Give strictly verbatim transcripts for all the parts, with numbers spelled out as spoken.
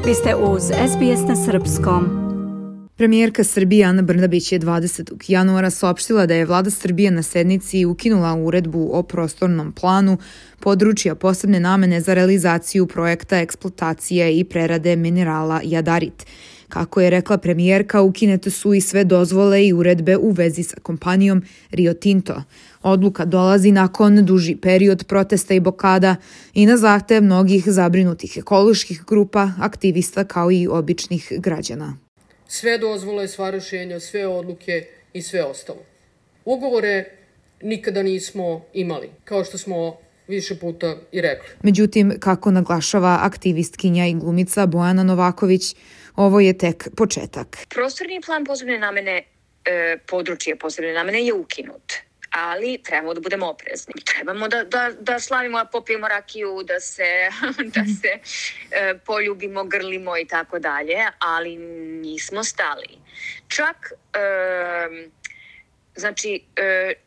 Vi ste uz S B S na srpskom. Premijerka Srbije Ana Brnabić je dvadesetog januara saopštila da je vlada Srbije na sednici ukinula uredbu o prostornom planu područja posebne namene za realizaciju projekta eksploatacije i prerade minerala jadarit. Kako je rekla premijerka, ukinete su i sve dozvole i uredbe u vezi sa kompanijom Rio Tinto. Odluka dolazi nakon duži period protesta i blokada i na zahtev mnogih zabrinutih ekoloških grupa, aktivista kao i običnih građana. Sve dozvole, sva rešenja, sve odluke i sve ostalo. Ugovore nikada nismo imali, kao što smo više puta i rekli. Međutim, kako naglašava aktivistkinja i glumica Bojana Novaković, ovo je tek početak. Prostorni plan posebne namene, e, područje posebne namene je ukinut, ali trebamo da budemo oprezni. Trebamo da, da, da slavimo, popijemo rakiju, da se, da se e, poljubimo, grlimo i tako dalje, ali nismo stali. Čak... E, Znači,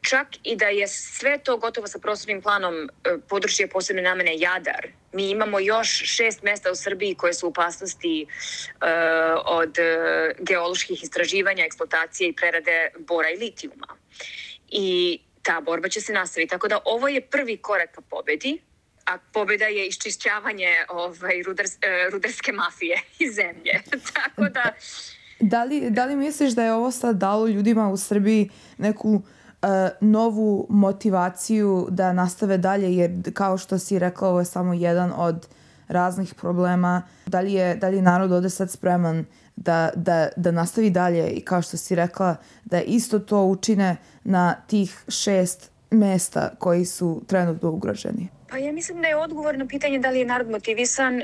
čak i da je sve to gotovo sa prostornim planom područje posebne namene Jadar, mi imamo još šest mesta u Srbiji koje su u opasnosti od geoloških istraživanja, eksploatacije i prerade bora i litijuma. I ta borba će se nastaviti. Tako da ovo je prvi korak ka pobedi, a pobeda je iščišćavanje ovaj, rudars, rudarske mafije iz zemlje. Tako da... Da li, da li misliš da je ovo sad dalo ljudima u Srbiji neku uh, novu motivaciju da nastave dalje, jer kao što si rekla, ovo je samo jedan od raznih problema. Da li je, da li je narod ovde sad spreman da, da, da nastavi dalje i kao što si rekla, da isto to učine na tih šest mesta koji su trenutno ugroženi? Pa ja mislim da je odgovor na pitanje da li je narod motivisan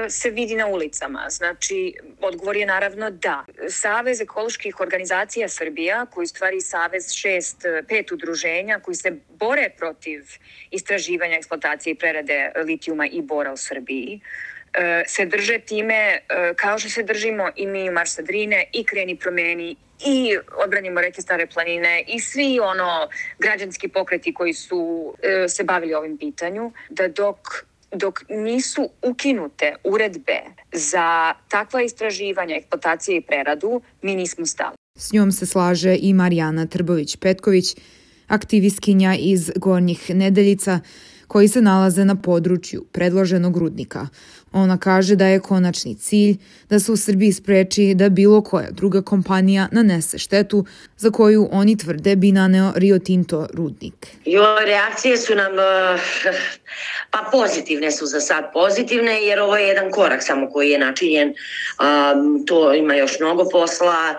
se vidi na ulicama. Znači, odgovor je naravno da. Savez ekoloških organizacija Srbija, koji stvari savez šest, pet udruženja koji se bore protiv istraživanja, eksploatacije i prerade litijuma i bora u Srbiji, se drže time kao što se držimo i mi u Marš sa Drine i Kreni promeni i Odbranimo reke Stare planine i svi ono građanski pokreti koji su e, se bavili ovim pitanju, da dok, dok nisu ukinute uredbe za takva istraživanja, eksploatacije i preradu, mi nismo stali. S njom se slaže i Marijana Trbović-Petković, aktivistkinja iz Gornjih Nedeljica, koji se nalaze na području predloženog rudnika. Ona kaže da je konačni cilj da se u Srbiji spreči da bilo koja druga kompanija nanese štetu za koju oni tvrde bi naneo Rio Tinto rudnik. Jo, reakcije su nam, pa pozitivne su za sad pozitivne, jer ovo je jedan korak samo koji je načinjen. Um, to ima još mnogo posla.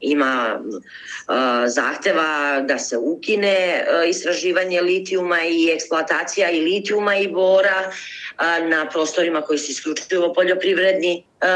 Ima uh, zahteva da se ukine uh, istraživanje litijuma i eksploatacija i litijuma i bora uh, na prostorima koji su isključivo poljoprivredni. Uh,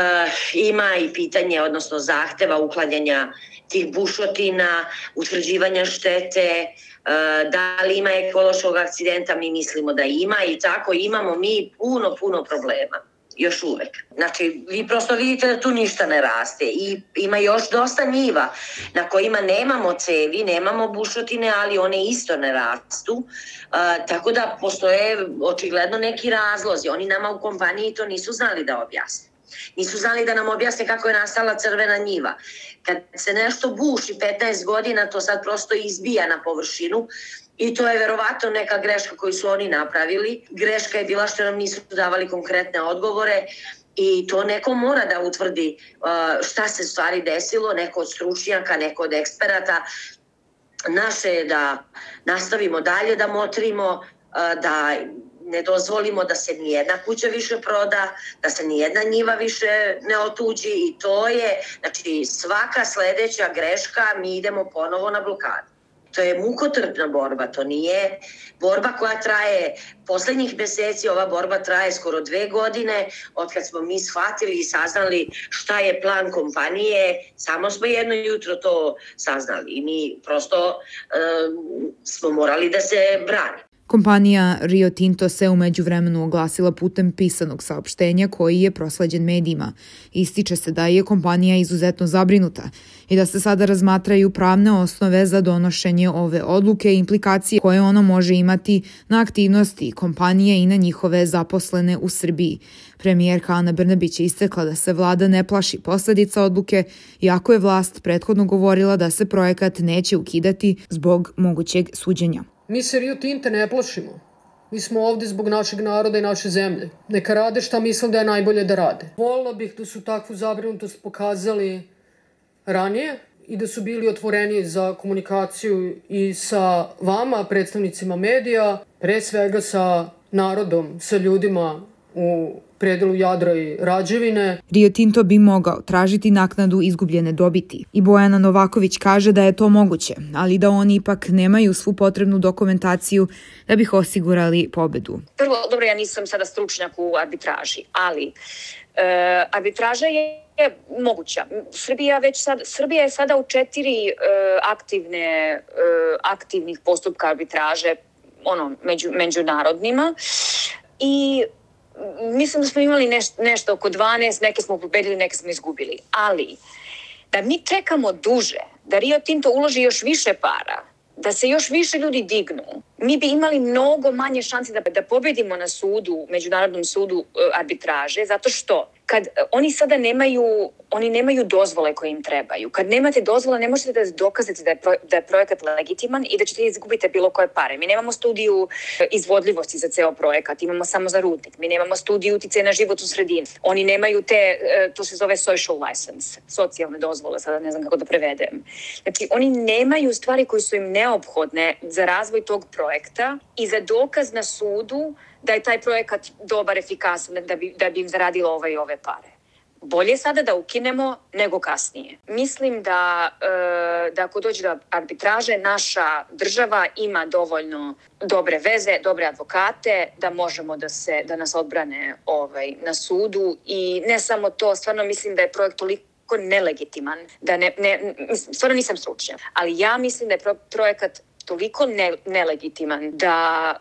ima i pitanje, odnosno zahteva uklanjanja tih bušotina, utvrđivanja štete, uh, da li ima ekološkog akcidenta, mi mislimo da ima i tako imamo mi puno, puno problema. Još uvek. Znači, vi prosto vidite da tu ništa ne raste i ima još dosta njiva na kojima nemamo cevi, nemamo bušotine, ali one isto ne rastu. Uh, tako da postoje očigledno neki razlozi. Oni nama u kompaniji to nisu znali da objasne. Nisu znali da nam objasne kako je nastala crvena njiva. Kad se nešto buši petnaest godina, to sad prosto izbija na površinu. I to je verovatno neka greška koju su oni napravili. Greška je bila što nam nisu davali konkretne odgovore i to neko mora da utvrdi šta se stvari desilo, neko od stručnjaka, neko od eksperata. Naše je da nastavimo dalje da motrimo, da ne dozvolimo da se nijedna kuća više proda, da se nijedna njiva više ne otuđi i to je, znači svaka sledeća greška mi idemo ponovo na blokadu. To je mukotrpna borba, to nije borba koja traje poslednjih meseci, ova borba traje skoro dve godine, od kad smo mi shvatili i saznali šta je plan kompanije, samo smo jedno jutro to saznali i mi prosto um, smo morali da se branimo. Kompanija Rio Tinto se u međuvremenu oglasila putem pisanog saopštenja koji je prosleđen medijima. Ističe se da je kompanija izuzetno zabrinuta i da se sada razmatraju pravne osnove za donošenje ove odluke i implikacije koje ono može imati na aktivnosti kompanije i na njihove zaposlene u Srbiji. Premijerka Ana Brnabić je istakla da se vlada ne plaši posledica odluke, iako je vlast prethodno govorila da se projekat neće ukidati zbog mogućeg suđenja. Mi se Rio Tinta ne plašimo. Mi smo ovde zbog našeg naroda i naše zemlje. Neka rade šta mislim da je najbolje da rade. Volila bih da su takvu zabrinutost pokazali ranije i da su bili otvoreni za komunikaciju i sa vama, predstavnicima medija, pre svega sa narodom, sa ljudima u predelu Jadra i Rađevine. Rio Tinto bi mogao tražiti naknadu izgubljene dobiti. I Bojana Novaković kaže da je to moguće, ali da oni ipak nemaju svu potrebnu dokumentaciju da bi osigurali pobedu. Prvo, dobro, ja nisam sada stručnjak u arbitraži, ali e, arbitraža je je moguća. Srbija već sad, Srbija je sada u četiri e, aktivne, e, aktivnih postupka arbitraže, ono, među, međunarodnima, i mislim da smo imali neš, nešto oko dvanaest, neke smo pobedili, neke smo izgubili. Ali, da mi čekamo duže, da Rio Tinto uloži još više para, da se još više ljudi dignu, mi bi imali mnogo manje šansi da, da pobedimo na sudu, međunarodnom sudu arbitraže, zato što kad oni sada nemaju, oni nemaju dozvole koje im trebaju. Kad nemate dozvole, ne možete da dokazate da je, pro, da je projekat legitiman i da ćete izgubiti bilo koje pare. Mi nemamo studiju izvodljivosti za ceo projekat, imamo samo za rudnik. Mi nemamo studiju uticaja na životnu sredinu. Oni nemaju te, to se zove social license, socijalne dozvole, sada ne znam kako da prevedem. Znači, oni nemaju stvari koje su im neophodne za razvoj tog projekta i za dokaz na sudu da je taj projekat dobar, efikasan, da bi, da bi im zaradilo ove i ove pare. Bolje sada da ukinemo nego kasnije. Mislim da, e, da ako dođe do arbitraže, naša država ima dovoljno dobre veze, dobre advokate, da možemo da, se, da nas odbrane ovaj, na sudu. I ne samo to, stvarno mislim da je projekt toliko nelegitiman, da ne, ne, stvarno nisam stručnjak, ali ja mislim da je pro, projekat toliko ne, nelegitiman da,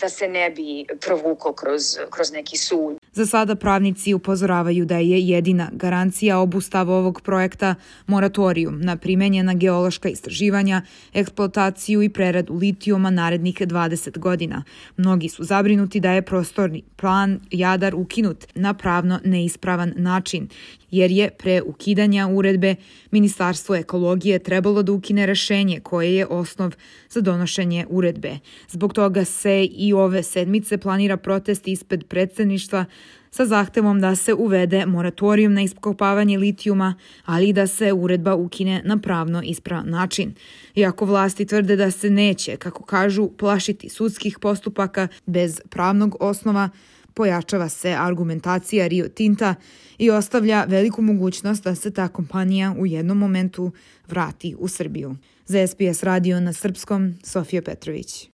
da se ne bi provukao kroz, kroz neki sud. Za sada pravnici upozoravaju da je jedina garancija obustava ovog projekta moratorijum na primenjena geološka istraživanja, eksploataciju i preradu litijuma narednih dvadeset godina. Mnogi su zabrinuti da je prostorni plan Jadar ukinut na pravno neispravan način, jer je pre ukidanja uredbe Ministarstvo ekologije trebalo da ukine rešenje koje je osnov za donošenje uredbe. Zbog toga se i ove sedmice planira protest ispred predsedništva sa zahtevom da se uvede moratorijum na iskopavanje litijuma, ali i da se uredba ukine na pravno ispravan način. Iako vlasti tvrde da se neće, kako kažu, plašiti sudskih postupaka bez pravnog osnova, pojačava se argumentacija Rio Tinta i ostavlja veliku mogućnost da se ta kompanija u jednom momentu vrati u Srbiju. Za S B S radio na srpskom, Sofija Petrović.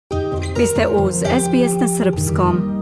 Vi ste uz S B S na srpskom.